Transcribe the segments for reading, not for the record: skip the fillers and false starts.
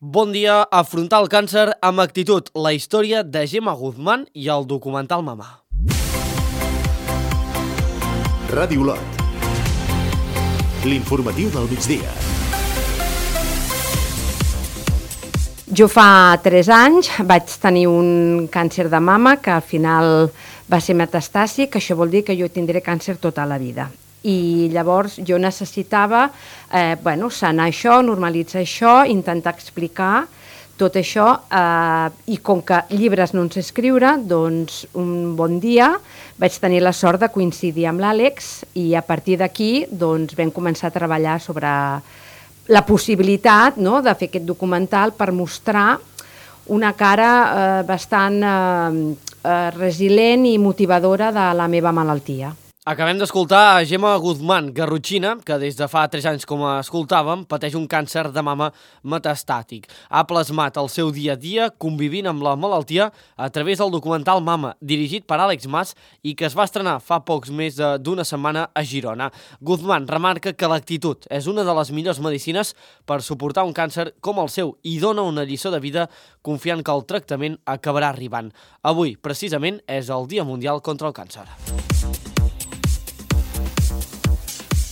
Bon dia, afrontar el càncer amb actitud, la història de Gemma Guzmán i el documental Mama. Ràdio Lot. L'informatiu del migdia. Jo fa 3 anys vaig tenir un càncer de mama que al final va ser metastàsic, això vol dir que jo tindré càncer tota la vida. I llavors jo necessitava sanar això, normalitzar això, intentar explicar tot això i com que llibres no en sé escriure, doncs un bon dia vaig tenir la sort de coincidir amb l'Àlex i a partir d'aquí doncs, vam començar a treballar sobre la possibilitat de fer aquest documental per mostrar una cara bastant resilient i motivadora de la meva malaltia. Acabem d'escoltar a Gemma Guzmán Garrotxina, que des de fa 3 anys, com escoltàvem, pateix un càncer de mama metastàtic. Ha plasmat el seu dia a dia convivint amb la malaltia a través del documental Mama, dirigit per Àlex Mas i que es va estrenar fa pocs més d'una setmana a Girona. Guzmán remarca que l'actitud és una de les millors medicines per suportar un càncer com el seu i dona una lliçó de vida confiant que el tractament acabarà arribant. Avui, precisament, és el Dia Mundial contra el Càncer.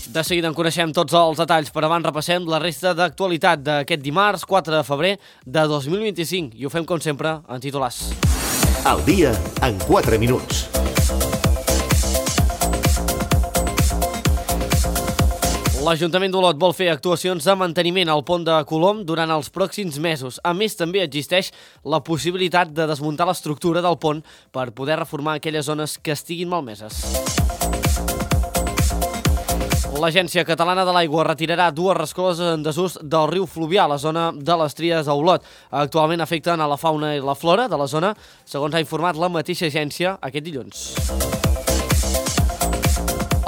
De seguida en coneixem tots els detalls, però abans repassem la resta d'actualitat d'aquest dimarts 4 de febrer de 2025 i ho fem com sempre en titulars. El dia en 4 minuts. L'Ajuntament d'Olot vol fer actuacions de manteniment al pont de Colom durant els pròxims mesos. A més, també existeix la possibilitat de desmuntar l'estructura del pont per poder reformar aquelles zones que estiguin malmeses. L'Agència Catalana de l'Aigua retirarà 2 rescloses en desús del riu Fluvià a la zona de les Tries a Olot. Actualment afecten a la fauna i la flora de la zona, segons ha informat la mateixa agència aquest dilluns.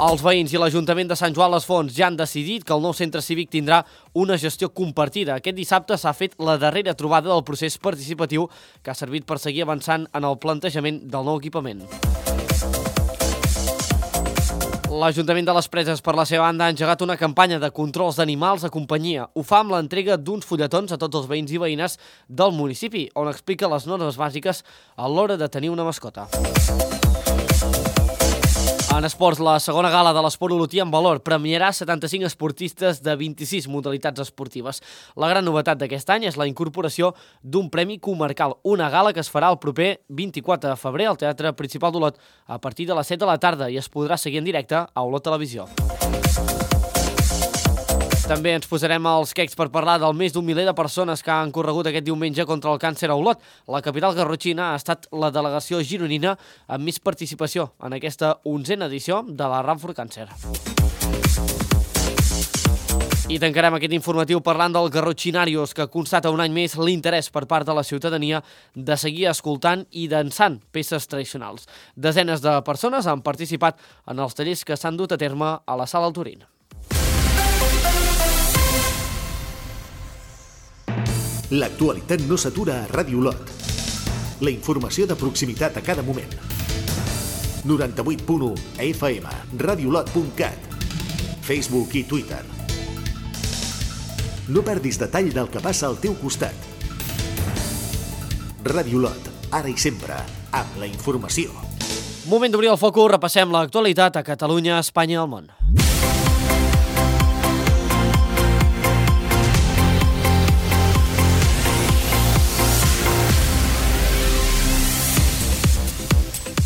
Els veïns i l'Ajuntament de Sant Joan les Fonts ja han decidit que el nou centre cívic tindrà una gestió compartida. Aquest dissabte s'ha fet la darrera trobada del procés participatiu que ha servit per seguir avançant en el plantejament del nou equipament. L'Ajuntament de les Preses, per la seva banda, ha engegat una campanya de controls d'animals a companyia. Ho fa amb l'entrega d'uns fulletons a tots els veïns i veïnes del municipi, on explica les normes bàsiques a l'hora de tenir una mascota. En esports, la segona gala de l'esport olotí en valor premiarà 75 esportistes de 26 modalitats esportives. La gran novetat d'aquest any és la incorporació d'un premi comarcal, una gala que es farà el proper 24 de febrer al Teatre Principal d'Olot a partir de les 7 de la tarda i es podrà seguir en directe a Olot Televisió. També ens posarem els quecs per parlar del més d'un miler de persones que han corregut aquest diumenge contra el càncer a Olot. La capital garrotxina ha estat la delegació gironina amb més participació en aquesta 11a edició de la Run for Cancer. I tancarem aquest informatiu parlant del Garrotxinarios, que constata un any més l'interès per part de la ciutadania de seguir escoltant i dansant peces tradicionals. Desenes de persones han participat en els tallers que s'han dut a terme a la Sala Altorín. L'actualitat no s'atura a Ràdio Lot. La informació de proximitat a cada moment. 98.1 FM, radiolot.cat, Facebook i Twitter. No perdis detall del que passa al teu costat. Ràdio Lot, ara i sempre, amb la informació. Moment d'obrir el focus, repassem l'actualitat a Catalunya, Espanya i el món.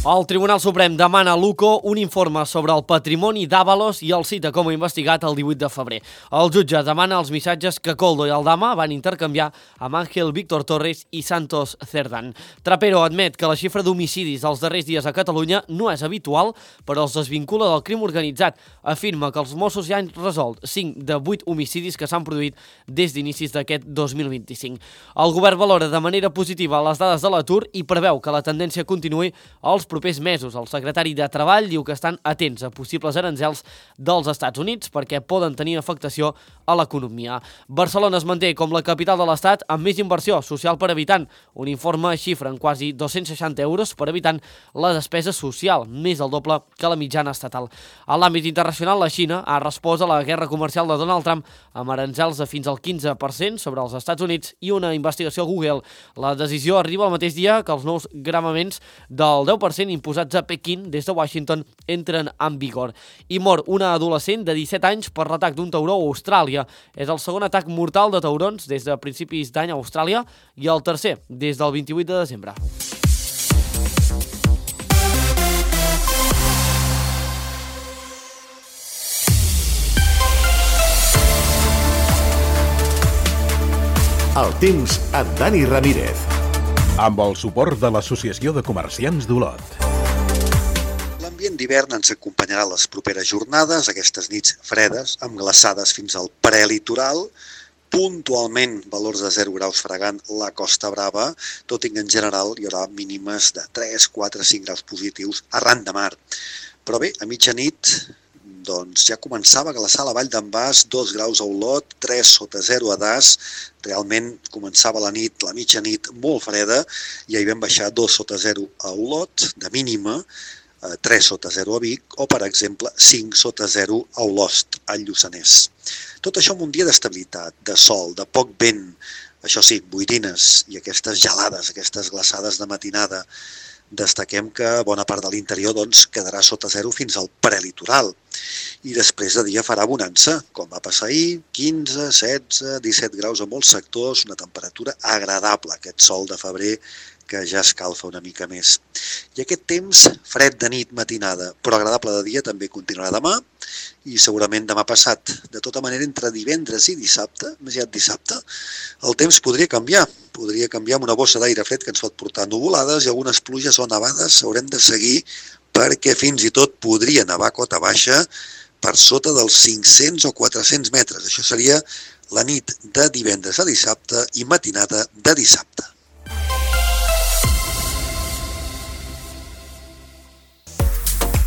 El Tribunal Suprem demana a l'UCO un informe sobre el patrimoni d'Ábalos i el cita com a investigat el 18 de febrer. El jutge demana els missatges que Koldo i Aldama van intercanviar amb Ángel Víctor Torres i Santos Cerdán. Trapero admet que la xifra d'homicidis els darrers dies a Catalunya no és habitual, però els desvincula del crim organitzat. Afirma que els Mossos ja han resolt 5 de 8 homicidis que s'han produït des d'inicis d'aquest 2025. El govern valora de manera positiva les dades de l'atur i preveu que la tendència continuï als propers mesos. El secretari de Treball diu que estan atents a possibles aranzels dels Estats Units perquè poden tenir afectació a l'economia. Barcelona es manté com la capital de l'Estat amb més inversió social per habitant. Un informe xifra en quasi 260 euros per habitant la despesa social, més del doble que la mitjana estatal. A l'àmbit internacional, la Xina ha respost a la guerra comercial de Donald Trump amb aranzels de fins al 15% sobre els Estats Units i una investigació a Google. La decisió arriba el mateix dia que els nous gravaments del 10% imposats a Pequín des de Washington entren en vigor. I mor una adolescent de 17 anys per l'atac d'un tauró a Austràlia. És el segon atac mortal de taurons des de principis d'any a Austràlia i el tercer des del 28 de desembre. El temps amb Dani Ramírez. Amb el suport de l'Associació de Comerciants d'Olot. L'ambient d'hivern ens acompanyarà les properes jornades, aquestes nits fredes, amb glaçades fins al prelitoral, puntualment valors de 0 graus fregant la Costa Brava, tot i que en general hi haurà mínimes de 3, 4, 5 graus positius arran de mar. Però bé, a mitjanit doncs ja començava a glaçar la vall d'en Bas, 2 graus a Olot, 3 sota 0 a Das. Realment començava la nit, la mitjanit, molt freda, i ahir vam baixar 2 sota 0 a Olot, de mínima, 3 sota 0 a Vic, o per exemple 5 sota 0 a Olost, al Lluçanès. Tot això amb un dia d'estabilitat, de sol, de poc vent, això sí, boirines i aquestes gelades, aquestes glaçades de matinada. Destaquem que bona part de l'interior quedarà sota 0 fins al prelitoral. I després de dia farà bonança, com va passar ahir, 15, 16, 17 graus a molts sectors, una temperatura agradable, aquest sol de febrer que ja escalfa una mica més. I aquest temps fred de nit, matinada, però agradable de dia també continuarà demà i segurament demà passat. De tota manera, entre divendres i dissabte, més aviat dissabte, el temps podria canviar amb una bossa d'aire fred que ens pot portar nuvolades i algunes pluges o nevades haurem de seguir perquè fins i tot podria nevar cota baixa per sota dels 500 o 400 metres. Això seria la nit de divendres a dissabte i matinada de dissabte.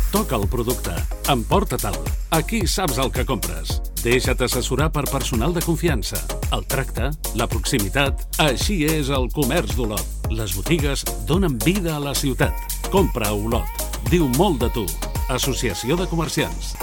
Toca el producte. Emporta-te'l. Aquí saps el que compres. Deixa't assessorar per personal de confiança. El tracte, la proximitat... Així és el comerç d'Olot. Les botigues donen vida a la ciutat. Compra a Olot. Diu molt de tu. Associació de Comerciants.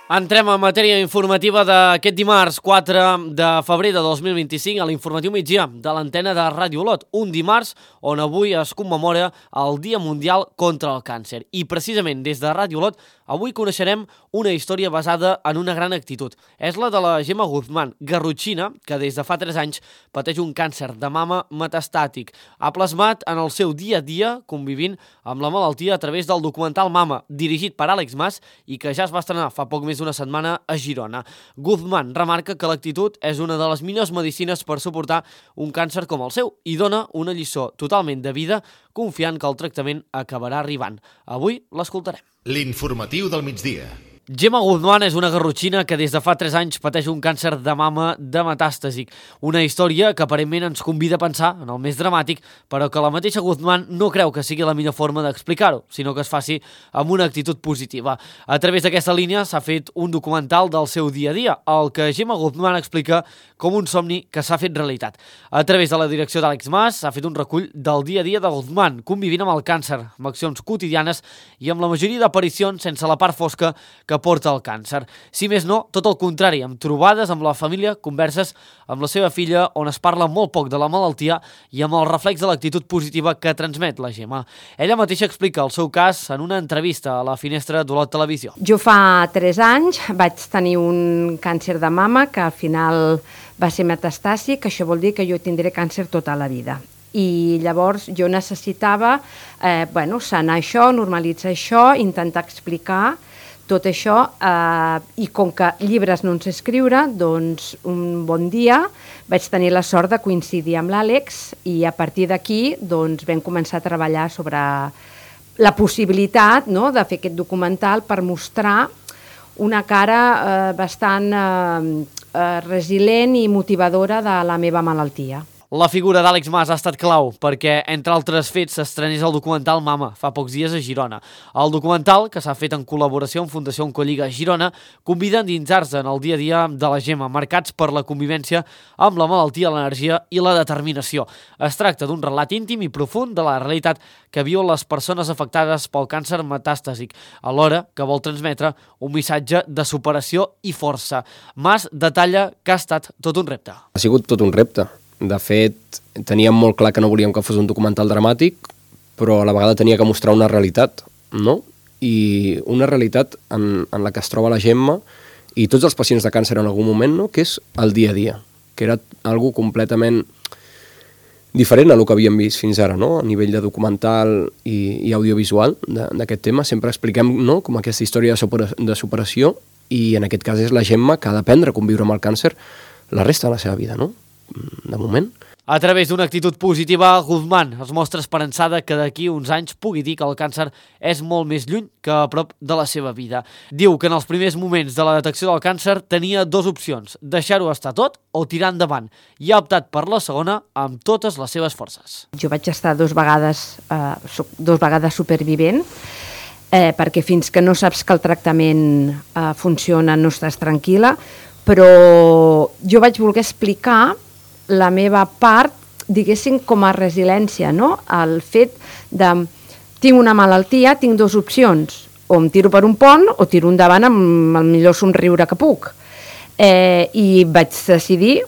Entrem en matèria informativa d'aquest dimarts 4 de febrer de 2025 a l'informatiu migdia de l'antena de Ràdio Olot. Un dimarts on avui es commemora el Dia Mundial contra el Càncer. I precisament des de Ràdio Olot avui coneixerem una història basada en una gran actitud. És la de la Gemma Guzmán, garrotxina, que des de fa 3 anys pateix un càncer de mama metastàtic. Ha plasmat en el seu dia a dia convivint amb la malaltia a través del documental Mama, dirigit per Àlex Mas i que ja es va estrenar fa poc més d'una setmana a Girona. Guzmán remarca que l'actitud és una de les millors medicines per suportar un càncer com el seu i dona una lliçó totalment de vida confiant que el tractament acabarà arribant. Avui l'escoltarem. L'informatiu del migdia. Gemma Guzmán és una garrotxina que des de fa 3 anys pateix un càncer de mama de metàstasi. Una història que aparentment ens convida a pensar en el més dramàtic, però que la mateixa Guzmán no creu que sigui la millor forma d'explicar-ho, sinó que es faci amb una actitud positiva. A través d'aquesta línia s'ha fet un documental del seu dia a dia, el que Gemma Guzmán explica com un somni que s'ha fet realitat. A través de la direcció d'Àlex Mas s'ha fet un recull del dia a dia de Guzmán, convivint amb el càncer, amb accions quotidianes i amb la majoria d'aparicions sense la part fosca que porta el càncer. Si més no, tot el contrari, amb trobades amb la família, converses amb la seva filla, on es parla molt poc de la malaltia i amb el reflex de l'actitud positiva que transmet la Gemma. Ella mateixa explica el seu cas en una entrevista a la Finestra d'Olot Televisió. Jo fa 3 anys vaig tenir un càncer de mama que al final va ser metastàsic, això vol dir que jo tindré càncer tota la vida. I llavors jo necessitava sanar això, normalitzar això, intentar explicar tot això, i com que llibres no en sé escriure, doncs un bon dia vaig tenir la sort de coincidir amb l'Àlex i a partir d'aquí doncs, vam començar a treballar sobre la possibilitat de fer aquest documental per mostrar una cara bastant resilient i motivadora de la meva malaltia. La figura d'Àlex Mas ha estat clau perquè, entre altres fets, s'estrenés el documental Mama fa pocs dies a Girona. El documental, que s'ha fet en col·laboració amb Fundació Oncolliga Girona, convida a endinsar-se en el dia a dia de la Gemma, marcats per la convivència amb la malaltia, l'energia i la determinació. Es tracta d'un relat íntim i profund de la realitat que viuen les persones afectades pel càncer metàstasic, alhora que vol transmetre un missatge de superació i força. Mas detalla que ha estat tot un repte. Ha sigut tot un repte. De fet, teníem molt clar que no volíem que fos un documental dramàtic, però a la vegada tenia que mostrar una realitat, no? I una realitat en la que es troba la Gemma i tots els pacients de càncer en algun moment, no? Que és el dia a dia, que era algo completament diferent a lo que havíem vist fins ara, no? A nivell de documental i audiovisual d'aquest tema. Sempre expliquem, no? Com aquesta història de superació, i en aquest cas és la Gemma que ha d'aprendre a conviure amb el càncer la resta de la seva vida, no? De moment. A través d'una actitud positiva, Guzmán es mostra esperançada que d'aquí uns anys pugui dir que el càncer és molt més lluny que a prop de la seva vida. Diu que en els primers moments de la detecció del càncer tenia dues opcions, deixar-ho estar tot o tirar endavant, i ha optat per la segona amb totes les seves forces. Jo vaig estar dos vegades supervivent, perquè fins que no saps que el tractament funciona no estàs tranquil·la, però jo vaig voler explicar la meva part, diguéssim, com a resiliència, no? El fet de, tinc una malaltia, tinc dues opcions, o em tiro per un pont o tiro endavant amb el millor somriure que puc. I vaig decidir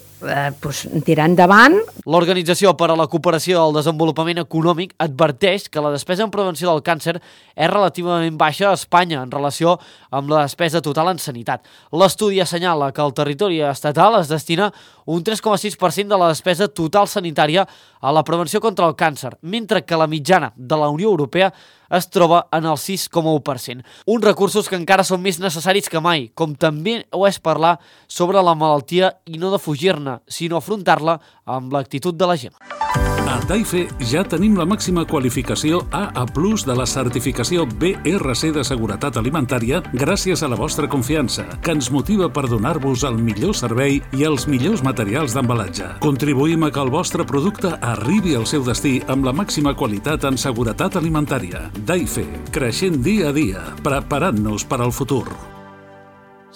tirar endavant. L'Organització per a la Cooperació al Desenvolupament Econòmic adverteix que la despesa en prevenció del càncer és relativament baixa a Espanya en relació amb la despesa total en sanitat. L'estudi assenyala que el territori estatal es destina un 3,6% de la despesa total sanitària a la prevenció contra el càncer, mentre que la mitjana de la Unió Europea es troba en el 6,1%. Uns recursos que encara són més necessaris que mai, com també ho és parlar sobre la malaltia i no defugir-ne, sinó afrontar-la amb l'actitud de la Gemma. A Daife ja tenim la màxima qualificació AA+ de la certificació BRC de seguretat alimentària gràcies a la vostra confiança, que ens motiva per donar-vos el millor servei i els millors materials d'embalatge. Contribuïm a que el vostre producte arribi al seu destí amb la màxima qualitat en seguretat alimentària. Daife, creixent dia a dia, preparant-nos per al futur.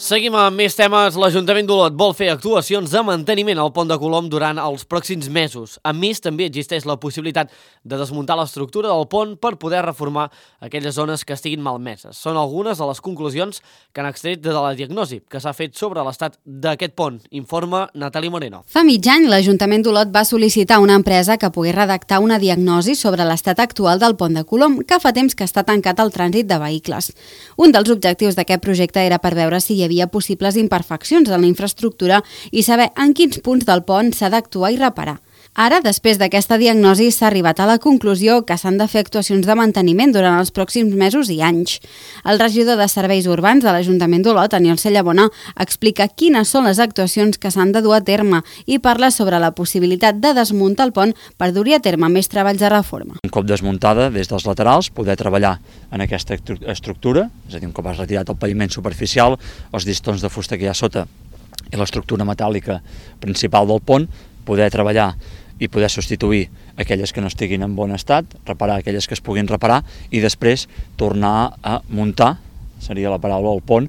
Seguim amb més temes. L'Ajuntament d'Olot vol fer actuacions de manteniment al Pont de Colom durant els pròxims mesos. A més, també existeix la possibilitat de desmuntar l'estructura del pont per poder reformar aquelles zones que estiguin malmeses. Són algunes de les conclusions que han extret de la diagnosi que s'ha fet sobre l'estat d'aquest pont, informa Natàlia Moreno. Fa mig any, l'Ajuntament d'Olot va sol·licitar a una empresa que pogués redactar una diagnosi sobre l'estat actual del Pont de Colom, que fa temps que està tancat al trànsit de vehicles. Un dels objectius d'aquest projecte era per veure si hi havia possibles imperfeccions en la infraestructura i saber en quins punts del pont s'ha d'actuar i reparar. Ara, després d'aquesta diagnosi, s'ha arribat a la conclusió que s'han de fer actuacions de manteniment durant els pròxims mesos i anys. El regidor de Serveis Urbans de l'Ajuntament d'Olot, Aniol Cellabona, explica quines són les actuacions que s'han de dur a terme i parla sobre la possibilitat de desmuntar el pont per dur-hi a terme més treballs de reforma. Un cop desmuntada, des dels laterals, poder treballar en aquesta estructura, és a dir, un cop has retirat el paviment superficial, els llistons de fusta que hi ha sota i l'estructura metàl·lica principal del pont, poder treballar i poder substituir aquelles que no estiguin en bon estat, reparar aquelles que es puguin reparar i després tornar a muntar, seria la paraula, el pont,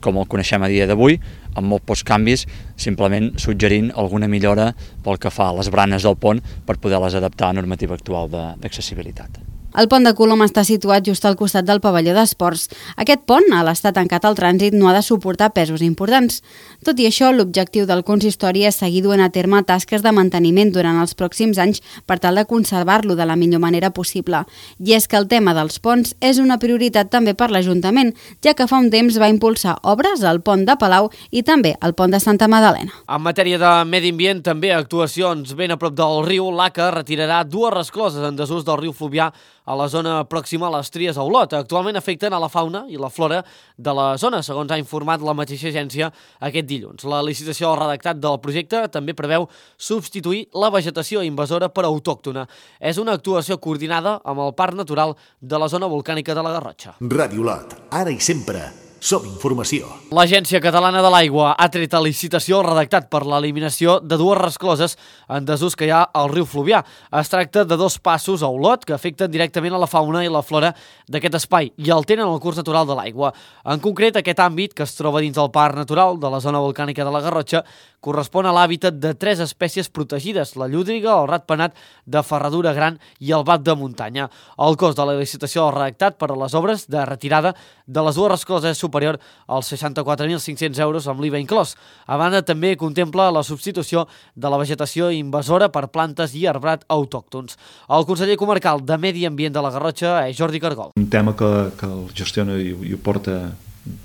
com el coneixem a dia d'avui, amb molt pocs canvis, simplement suggerint alguna millora pel que fa a les branes del pont per poder-les adaptar a la normativa actual d'accessibilitat. El pont de Colom està situat just al costat del pavelló d'esports. Aquest pont, a l'estar tancat al trànsit, no ha de suportar pesos importants. Tot i això, l'objectiu del consistori és seguir duent a terme tasques de manteniment durant els pròxims anys per tal de conservar-lo de la millor manera possible. I és que el tema dels ponts és una prioritat també per l'Ajuntament, ja que fa un temps va impulsar obres al pont de Palau i també al pont de Santa Madalena. En matèria de medi ambient, també actuacions ben a prop del riu. L'ACA retirarà dues rescloses en desús del riu Fluvià a la zona pròxima a les Tries a Olot. Actualment afecten a la fauna i la flora de la zona, segons ha informat la mateixa agència aquest dilluns. La licitació redactat del projecte també preveu substituir la vegetació invasora per autòctona. És una actuació coordinada amb el Parc Natural de la zona volcànica de la Garrotxa. Ràdio Olot, ara i sempre, Som informació. L'Agència Catalana de l'Aigua ha tret a licitació el redactat per l'eliminació de 2 rescloses en desús que hi ha al riu Fluvià. Es tracta de 2 passos a Olot que afecten directament a la fauna i la flora d'aquest espai i alteren el curs natural de l'aigua. En concret, aquest àmbit, que es troba dins del Parc Natural de la zona volcànica de la Garrotxa, correspon a l'hàbitat de 3 espècies protegides, la llúdriga, el ratpenat de ferradura gran i el bat de muntanya. El cost de la licitació del redactat per a les obres de retirada de les 2 rescloses és superior als 64.500 euros amb l'IVA inclòs. A banda, també contempla la substitució de la vegetació invasora per plantes i arbrat autòctons. El conseller comarcal de Medi Ambient de la Garrotxa és Jordi Cargol. Un tema que el gestiona i ho porta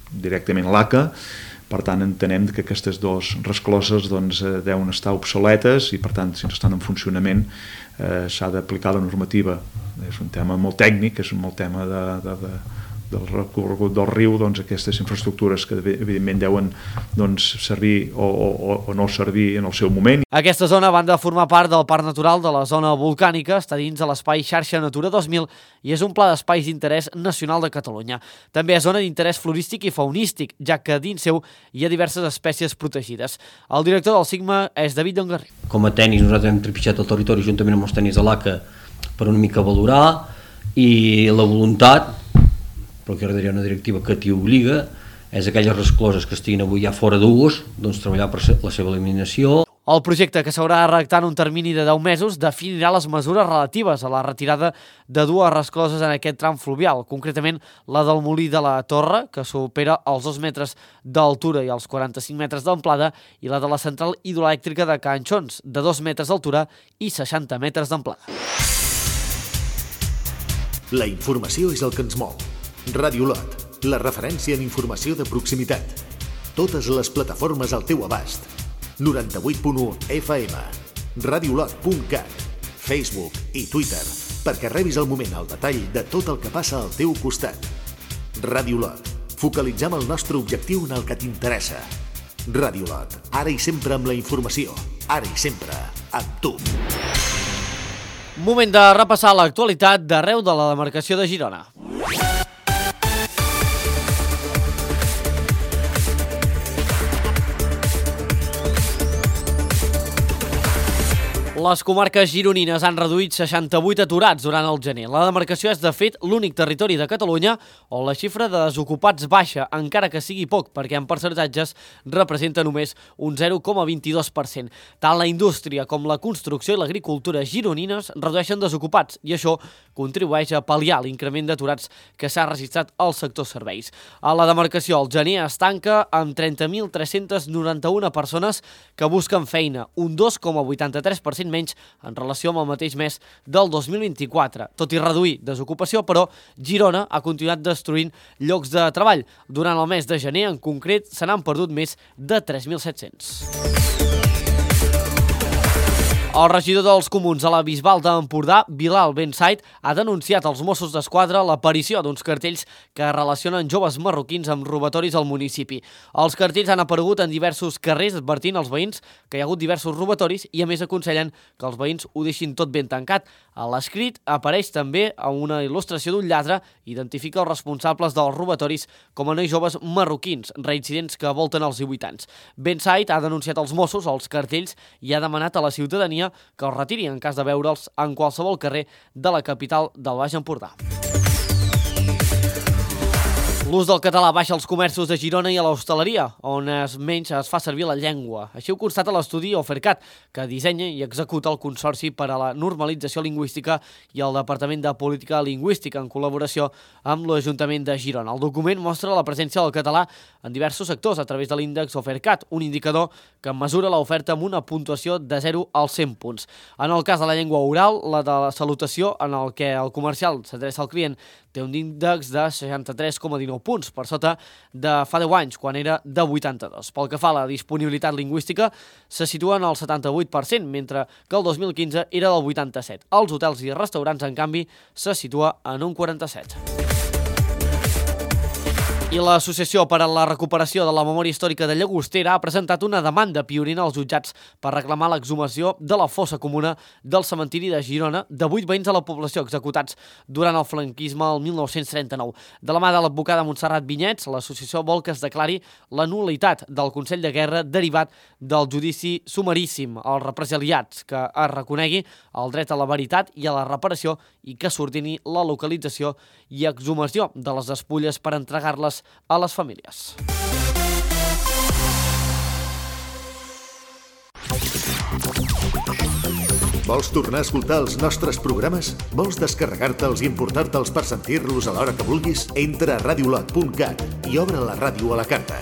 directament l'ACA. Per tant, entenem que aquestes 2 rescloses deuen estar obsoletes i, per tant, si no estan en funcionament, s'ha d'aplicar la normativa. És un tema molt tècnic, és un molt tema del recorregut del riu, aquestes infraestructures que evidentment deuen servir o no servir en el seu moment. Aquesta zona, a banda de formar part del Parc Natural de la zona volcànica, està dins de l'espai Xarxa Natura 2000 i és un pla d'espais d'interès nacional de Catalunya. També és zona d'interès florístic i faunístic, ja que dins seu hi ha diverses espècies protegides. El director del SIGMA és David Dongarri. Com a tècnics nosaltres hem trepitjat el territori juntament amb els tècnics de l'ACA per una mica valorar i la voluntat, perquè hi ha una directiva que t'hi obliga, és aquelles rescloses que estiguin avui ja fora d'ús, treballar per la seva eliminació. El projecte, que s'haurà de redactar en un termini de 10 mesos, definirà les mesures relatives a la retirada de 2 rescloses en aquest tram fluvial, concretament la del Molí de la Torre, que supera els 2 metres d'altura i els 45 metres d'amplada, i la de la central hidroelèctrica de Can Xons, de 2 metres d'altura i 60 metres d'amplada. La informació és el que ens mou. Ràdio Olot, la referència en informació de proximitat. Totes les plataformes al teu abast. 98.1 FM, radioolot.cat, Facebook i Twitter, perquè rebis al moment el detall de tot el que passa al teu costat. Ràdio Olot, focalitzem el nostre objectiu en el que t'interessa. Ràdio Olot, ara i sempre amb la informació, ara i sempre amb tu. Moment de repassar l'actualitat d'arreu de la demarcació de Girona. Les comarques gironines han reduït 68 aturats durant el gener. La demarcació és, de fet, l'únic territori de Catalunya on la xifra de desocupats baixa, encara que sigui poc, perquè en percentatges representa només un 0,22%. Tant la indústria com la construcció i l'agricultura gironines redueixen desocupats i això contribueix a pal·liar l'increment d'aturats que s'ha registrat al sector serveis. A la demarcació, el gener es tanca amb 30.391 persones que busquen feina, un 2,83% menys en relació amb el mateix mes del 2024. Tot i reduir desocupació, però, Girona ha continuat destruint llocs de treball. Durant el mes de gener, en concret, se n'han perdut més de 3.700. El regidor dels Comuns a la Bisbal d'Empordà, Bilal Bensaid, ha denunciat als Mossos d'Esquadra l'aparició d'uns cartells que relacionen joves marroquins amb robatoris al municipi. Els cartells han aparegut en diversos carrers advertint als veïns que hi ha hagut diversos robatoris i a més aconsellen que els veïns ho deixin tot ben tancat. A l'escrit apareix també una il·lustració d'un lladre i identifica els responsables dels robatoris com a nois joves marroquins, reincidents que volten als 18 anys. Bensaid ha denunciat als Mossos els cartells i ha demanat a la ciutadania que els retiri en cas de veure'ls en qualsevol carrer de la capital del Baix Empordà. L'ús del català baixa als comerços de Girona i a l'hostaleria, on menys es fa servir la llengua. Així ho constata l'estudi Ofercat, que dissenya i executa el Consorci per a la Normalització Lingüística i el Departament de Política Lingüística en col·laboració amb l'Ajuntament de Girona. El document mostra la presència del català en diversos sectors a través de l'índex Ofercat, un indicador que mesura l'oferta amb una puntuació de 0 als 100 punts. En el cas de la llengua oral, la de la salutació, en el que el comercial s'adreça al client, té un índex de 63,19 punts, per sota de fa 10 anys, quan era de 82. Pel que fa a la disponibilitat lingüística, se situa en el 78%, mentre que el 2015 era del 87%. Els hotels i restaurants, en canvi, se situa en un 47%. I l'Associació per a la Recuperació de la Memòria Històrica de Llagostera ha presentat una demanda pionera als jutjats per reclamar l'exhumació de la fossa comuna del cementiri de Girona de 8 veïns de la població executats durant el franquisme el 1939. De la mà de l'advocada Montserrat Vinyets, l'associació vol que es declari la nul·litat del Consell de Guerra derivat del judici sumaríssim als represaliats, que es reconegui el dret a la veritat i a la reparació i que s'ordini la localització i exhumació de les despulles per entregar-les a les famílies. Vols tornar a escoltar els nostres programes? Vols descarregar-te'ls i importar-te'ls per sentir-los a l'hora que vulguis? Entra a radiolot.cat i obre la ràdio a la carta.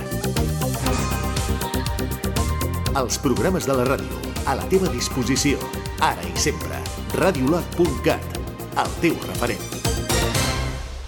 Els programes de la ràdio, a la teva disposició, ara i sempre. Radiolot.cat, el teu referent.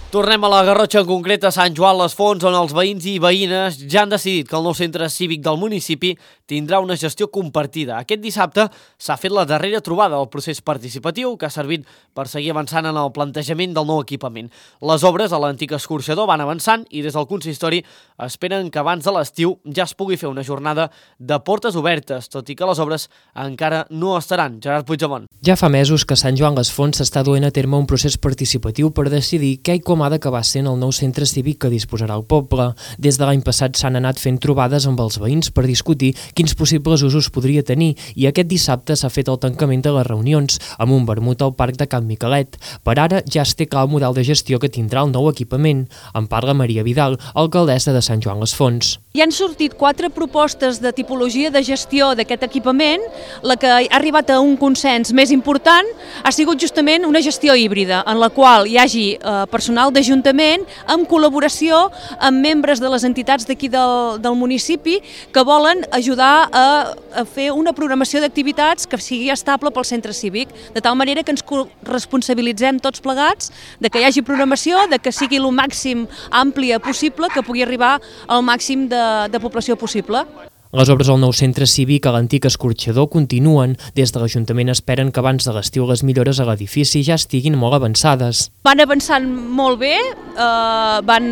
Tornem a la Garrotxa, en concret a Sant Joan les Fonts, on els veïns i veïnes ja han decidit que el nou centre cívic del municipi tindrà una gestió compartida. Aquest dissabte s'ha fet la darrera trobada del procés participatiu que ha servit per seguir avançant en el plantejament del nou equipament. Les obres a l'antic escorxador van avançant i des del consistori esperen que abans de l'estiu ja es pugui fer una jornada de portes obertes, tot i que les obres encara no estaran. Gerard Puigdemont. Ja fa mesos que Sant Joan les Fonts s'està duent a terme un procés participatiu per decidir què i com ha d'acabar sent el nou centre cívic que disposarà el poble. Des de l'any passat s'han anat fent trobades amb els veïns per discutir quins possibles usos podria tenir i aquest dissabte s'ha fet el tancament de les reunions amb un vermut al Parc de Can Miquelet. Per ara ja es té clar el model de gestió que tindrà el nou equipament. En parla Maria Vidal, alcaldessa de Sant Joan les Fonts. Hi han sortit 4 propostes de tipologia de gestió d'aquest equipament. La que ha arribat a un consens més important ha sigut justament una gestió híbrida, en la qual hi hagi personal d'Ajuntament amb col·laboració amb membres de les entitats d'aquí del municipi que volen ajudar a fer una programació d'activitats que sigui estable pel centre cívic, de tal manera que ens responsabilitzem tots plegats de que hi hagi programació, de que sigui el màxim àmplia possible, que pugui arribar al màxim de població possible. Les obres al nou centre cívic a l'antic escorxador continuen. Des de l'Ajuntament esperen que abans de l'estiu les millores a l'edifici ja estiguin molt avançades. Van avançant molt bé, van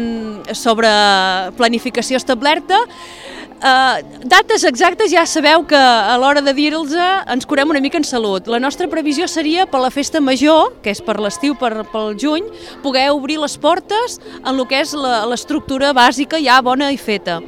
sobre planificació establerta. Dates exactes ja sabeu que a l'hora de dir-los ens curem una mica en salut. La nostra previsió seria per la festa major, que és per l'estiu, pel juny, poder obrir les portes en el que és l'estructura bàsica ja bona i feta.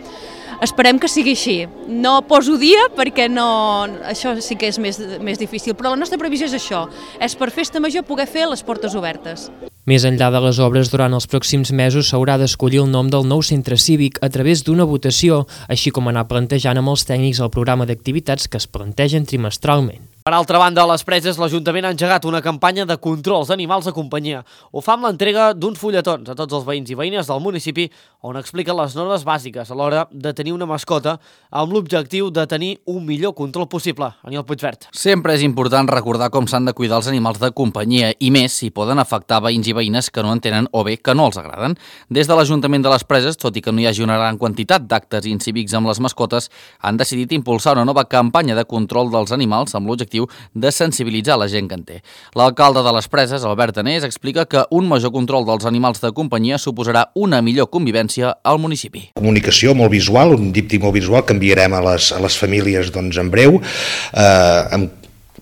Esperem que sigui així. No poso dia perquè això sí que és més difícil, però la nostra previsió és això, és per festa major poder fer les portes obertes. Més enllà de les obres, durant els pròxims mesos s'haurà d'escollir el nom del nou centre cívic a través d'una votació, així com anar plantejant amb els tècnics el programa d'activitats que es plantegen trimestralment. Per altra banda, a les Preses, l'Ajuntament ha engegat una campanya de controls d'animals de companyia. Ho fa amb l'entrega d'uns fulletons a tots els veïns i veïnes del municipi on expliquen les normes bàsiques a l'hora de tenir una mascota amb l'objectiu de tenir un millor control possible. Aniol Puigvert. Sempre és important recordar com s'han de cuidar els animals de companyia i més si poden afectar veïns i veïnes que no entenen o bé que no els agraden. Des de l'Ajuntament de les Preses, tot i que no hi hagi una gran quantitat d'actes incívics amb les mascotes, han decidit impulsar una nova campanya de control dels animals amb l'objectiu de sensibilitzar la gent que en té. L'alcalde de les Preses, Albert Anés, explica que un major control dels animals de companyia suposarà una millor convivència al municipi. Comunicació molt visual, un díptic molt visual que enviarem a les famílies en breu, amb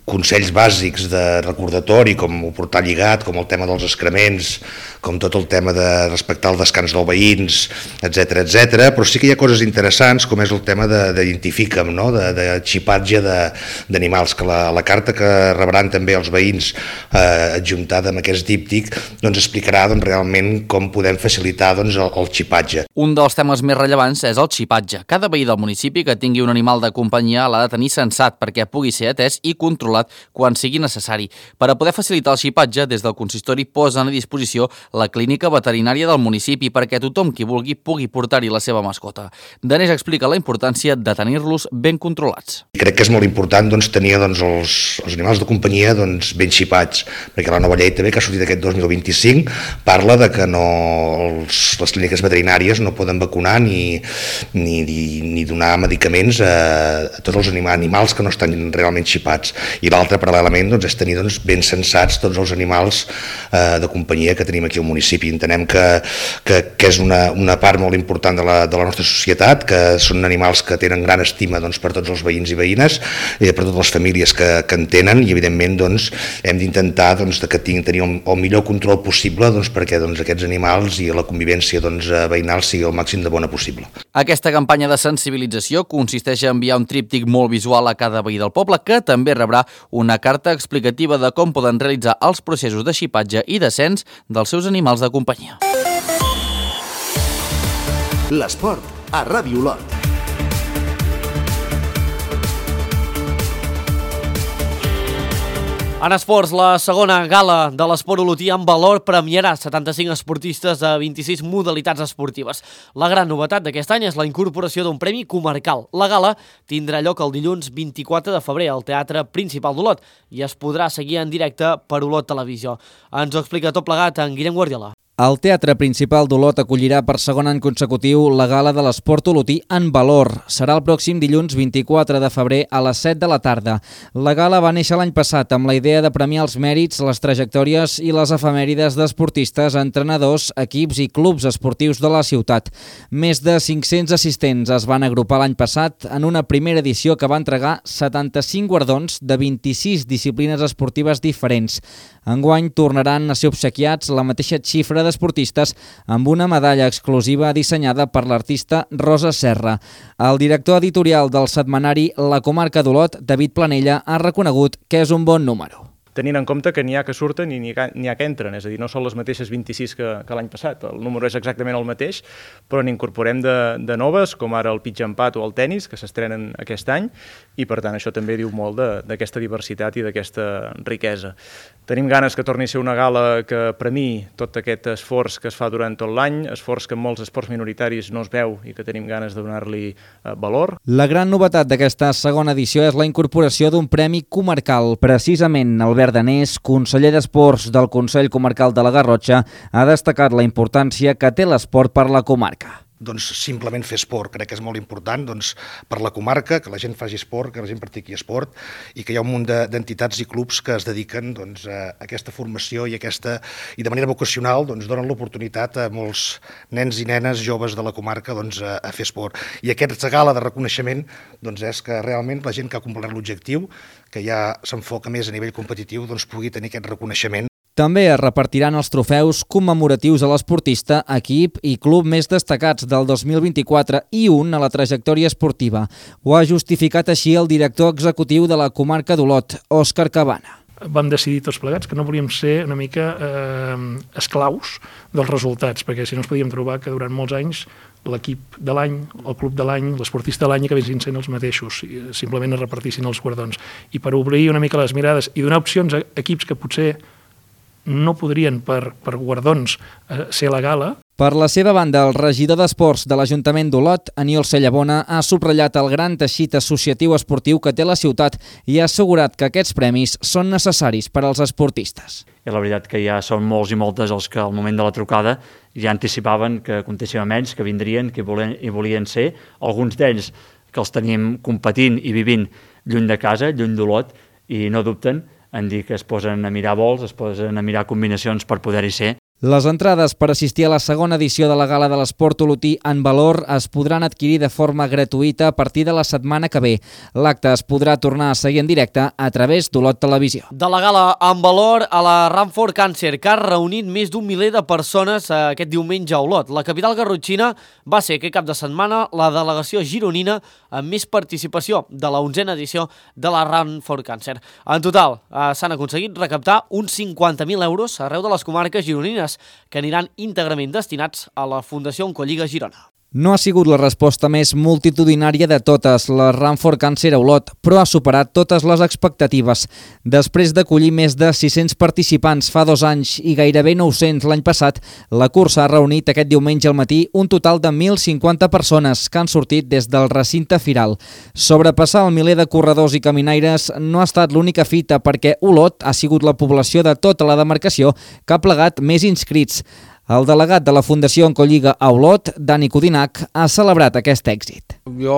consells bàsics de recordatori, com ho portar lligat, com el tema dels excrements, com tot el tema de respectar el descans dels veïns, etc, però sí que hi ha coses interessants, com és el tema d'identifica'm, no? de xipatge d'animals, que la carta que rebran també els veïns adjuntada amb aquest díptic explicarà realment com podem facilitar el xipatge. Un dels temes més rellevants és el xipatge. Cada veí del municipi que tingui un animal de companyia l'ha de tenir censat perquè pugui ser atès i controlat quan sigui necessari. Per a poder facilitar el xipatge, des del consistori posen a disposició la clínica veterinària del municipi perquè tothom qui vulgui pugui portar-hi la seva mascota. Danés explica la importància de tenir-los ben controlats. Crec que és molt important tenir els animals de companyia ben xipats, perquè la nova llei també que ha sortit aquest 2025 parla de que les clíniques veterinàries no poden vacunar ni donar medicaments a tots els animals que no estan realment xipats. I l'altre, paral·lelament, és tenir ben censats tots els animals de companyia que tenim aquí i el municipi. Entenem que és una part molt important de la nostra societat, que són animals que tenen gran estima per tots els veïns i veïnes, per totes les famílies que en tenen, i evidentment hem d'intentar tenir el millor control possible perquè aquests animals i la convivència veïnal sigui el màxim de bona possible. Aquesta campanya de sensibilització consisteix a enviar un tríptic molt visual a cada veí del poble, que també rebrà una carta explicativa de com poden realitzar els processos de xipatge i de cens dels seus animals de companyia. L'esport a Ràdio Olot. En esports, la segona gala de l'esport olotí en valor premiarà 75 esportistes de 26 modalitats esportives. La gran novetat d'aquest any és la incorporació d'un premi comarcal. La gala tindrà lloc el dilluns 24 de febrer al Teatre Principal d'Olot i es podrà seguir en directe per Olot Televisió. Ens ho explica tot plegat en Guillem Guardiola. El Teatre Principal d'Olot acollirà per segon any consecutiu la gala de l'esport olotí en valor. Serà el pròxim dilluns 24 de febrer a les 7 de la tarda. La gala va néixer l'any passat amb la idea de premiar els mèrits, les trajectòries i les efemèrides d'esportistes, entrenadors, equips i clubs esportius de la ciutat. Més de 500 assistents es van agrupar l'any passat en una primera edició que va entregar 75 guardons de 26 disciplines esportives diferents. Enguany tornaran a ser obsequiats la mateixa xifra d'esportistes amb una medalla exclusiva dissenyada per l'artista Rosa Serra. El director editorial del setmanari La Comarca d'Olot, David Planella, ha reconegut que és un bon número. Tenint en compte que n'hi ha que surten i n'hi ha que entren, és a dir, no són les mateixes 26 que l'any passat, el número és exactament el mateix, però n'incorporem de noves, com ara el pitch empat o el tennis, que s'estrenen aquest any, i per tant això també diu molt d'aquesta diversitat i d'aquesta riquesa. Tenim ganes que torni a ser una gala que premiï tot aquest esforç que es fa durant tot l'any, esforç que en molts esports minoritaris no es veu i que tenim ganes de donar-li valor. La gran novetat d'aquesta segona edició és la incorporació d'un premi comarcal. Precisament, Albert Danés, conseller d'Esports del Consell Comarcal de la Garrotxa, ha destacat la importància que té l'esport per la comarca. Simplement fer esport, crec que és molt important per la comarca, que la gent faci esport, que la gent practiqui esport, i que hi ha un munt d'entitats i clubs que es dediquen a aquesta formació i de manera vocacional donen l'oportunitat a molts nens i nenes joves de la comarca a fer esport. I aquesta gala de reconeixement és que realment la gent que ha complert l'objectiu, que ja s'enfoca més a nivell competitiu, pugui tenir aquest reconeixement. També es repartiran els trofeus commemoratius a l'esportista, equip i club més destacats del 2024 i un a la trajectòria esportiva. Ho ha justificat així el director executiu de la Comarca d'Olot, Òscar Cabana. Vam decidir tots plegats que no volíem ser una mica esclaus dels resultats, perquè si no ens podíem trobar que durant molts anys l'equip de l'any, el club de l'any, l'esportista de l'any acabessin sent els mateixos, simplement es repartissin els guardons. I per obrir una mica les mirades i donar opcions a equips que potser no podrien per guardons ser a la gala. Per la seva banda, el regidor d'Esports de l'Ajuntament d'Olot, Aniol Cellabona, ha subratllat el gran teixit associatiu esportiu que té la ciutat i ha assegurat que aquests premis són necessaris per als esportistes. I la veritat que ja són molts i moltes els que al moment de la trucada ja anticipaven que comptéssim amb ells, que vindrien, que hi volien ser. Alguns d'ells que els tenim competint i vivint lluny de casa, lluny d'Olot, i no dubten en dir que es posen a mirar vols, es posen a mirar combinacions per poder-hi ser. Les entrades per assistir a la segona edició de la Gala de l'Esport Olotí en valor es podran adquirir de forma gratuïta a partir de la setmana que ve. L'acte es podrà tornar a seguir en directe a través d'Olot Televisió. De la Gala en valor a la Ranford Cancer, que ha reunit més d'un miler de persones aquest diumenge a Olot. La capital garrotxina va ser aquest cap de setmana la delegació gironina amb més participació de la 11a edició de la Ranford Cancer. En total, s'han aconseguit recaptar uns 50.000 euros arreu de les comarques gironines, que aniran íntegrament destinats a la Fundació Oncolliga Girona. No ha sigut la resposta més multitudinària de totes, la Ranford Cancer a Olot, però ha superat totes les expectatives. Després d'acollir més de 600 participants fa 2 anys i gairebé 900 l'any passat, la cursa ha reunit aquest diumenge al matí un total de 1.050 persones que han sortit des del recinte firal. Sobrepassar el miler de corredors i caminaires no ha estat l'única fita perquè Olot ha sigut la població de tota la demarcació que ha plegat més inscrits. El delegat de la Fundació Oncolliga a Olot, Dani Codinac, ha celebrat aquest èxit. Jo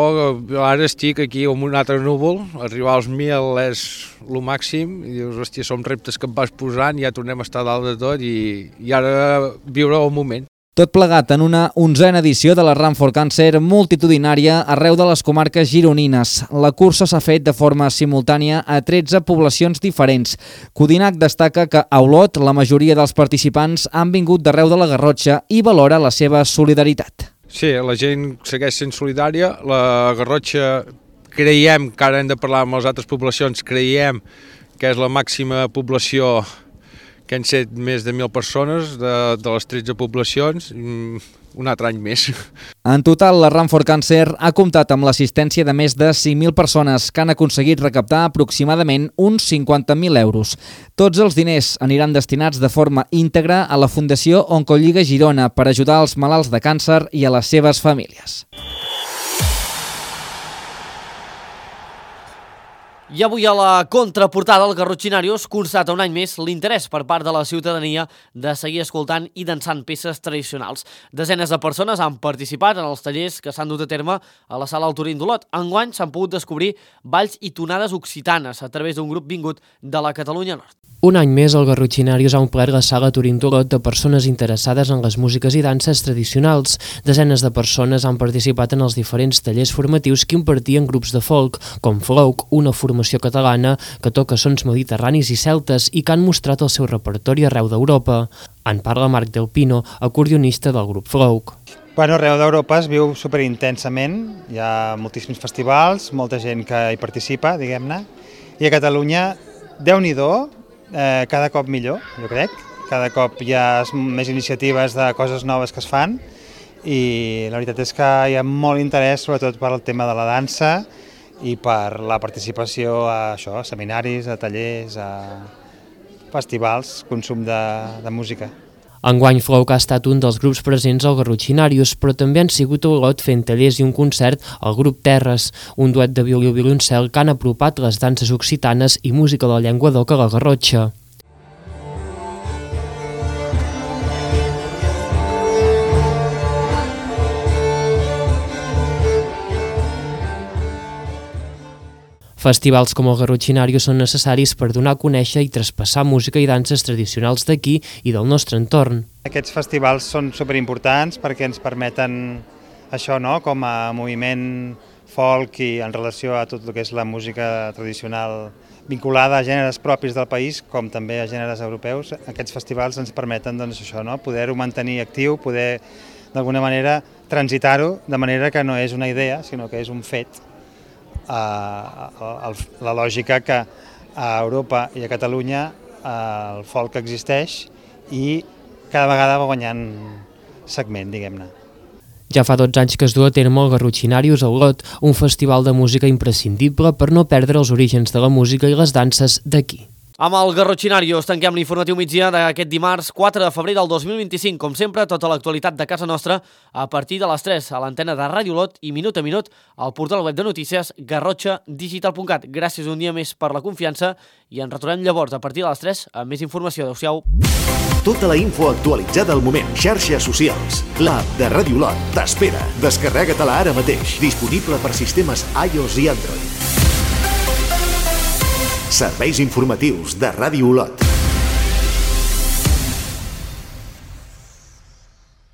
ara estic aquí amb un altre núvol, arribar als 1.000 és el màxim, i dius, hòstia, són reptes que em vas posant, ja tornem a estar dalt de tot i ara viure el moment. Tot plegat en una 11a edició de la Run for Cancer multitudinària arreu de les comarques gironines. La cursa s'ha fet de forma simultània a 13 poblacions diferents. Codinac destaca que a Olot la majoria dels participants han vingut d'arreu de la Garrotxa i valora la seva solidaritat. Sí, la gent segueix sent solidària. La Garrotxa creiem, que ara hem de parlar amb les altres poblacions, creiem que és la màxima població que han set més de 1.000 persones de les 13 poblacions, un altre any més. En total, la Run for Cancer ha comptat amb l'assistència de més de 5.000 persones que han aconseguit recaptar aproximadament uns 50.000 euros. Tots els diners aniran destinats de forma íntegra a la Fundació Oncolliga Girona per ajudar els malalts de càncer i a les seves famílies. I avui a la contraportada el Garrotxinarios constata un any més l'interès per part de la ciutadania de seguir escoltant i dansant peces tradicionals. Desenes de persones han participat en els tallers que s'han dut a terme a la sala Alturín d'Olot. Enguany s'han pogut descobrir balls i tonades occitanes a través d'un grup vingut de la Catalunya Nord. Un any més, el Garrotxinarios ha omplert la sala Turín d'Olot de persones interessades en les músiques i danses tradicionals. Desenes de persones han participat en els diferents tallers formatius que impartien grups de folk, com Flouk, una formació catalana que toca sons mediterranis i celtes i que han mostrat el seu repertori arreu d'Europa. En parla Marc Del Pino, acordionista del grup Flouk. Bueno, arreu d'Europa es viu superintensament, hi ha moltíssims festivals, molta gent que hi participa, diguem-ne, i a Catalunya, Déu-n'hi-do, cada cop millor, jo crec. Cada cop hi ha més iniciatives de coses noves que es fan i la veritat és que hi ha molt interès sobretot per al tema de la dansa i per la participació a això, a seminaris, a tallers, a festivals, consum de música. Enguany Flouk ha estat un dels grups presents al Garrotxinarios, però també han sigut a Olot fent tallers i un concert al grup Terres, un duet de violí i violoncel que han apropat les danses occitanes i música de la llengua d'oca a la Garrotxa. Festivals com el Garrotxinarios són necessaris per donar a conèixer i traspassar música i danses tradicionals d'aquí i del nostre entorn. Aquests festivals són superimportants perquè ens permeten això, no?, com a moviment folk i en relació a tot el que és la música tradicional vinculada a gèneres propis del país, com també a gèneres europeus. Aquests festivals ens permeten doncs, això, no?, poder-ho mantenir actiu, poder d'alguna manera transitar-ho de manera que no és una idea, sinó que és un fet. La lògica que a Europa i a Catalunya el folk existeix i cada vegada va guanyant segment, diguem-ne. Ja fa 12 anys que es du a terme el Garrotxinarios a Olot, un festival de música imprescindible per no perdre els orígens de la música i les danses d'aquí. Amb el Garrotxinarios tanquem l'informatiu migdia d'aquest dimarts 4 de febrer del 2025. Com sempre, tota l'actualitat de casa nostra a partir de les 3 a l'antena de Ràdio Olot i minut a minut al portal web de notícies garrotxadigital.cat. Gràcies un dia més per la confiança i ens retornem llavors a partir de les 3 amb més informació. Adéu-siau. Tota la info actualitzada al moment. Xarxes socials. L'app de Ràdio Olot t'espera. Descarrega-te-la ara mateix. Disponible per sistemes iOS i Android. Serveis informatius de Ràdio Olot.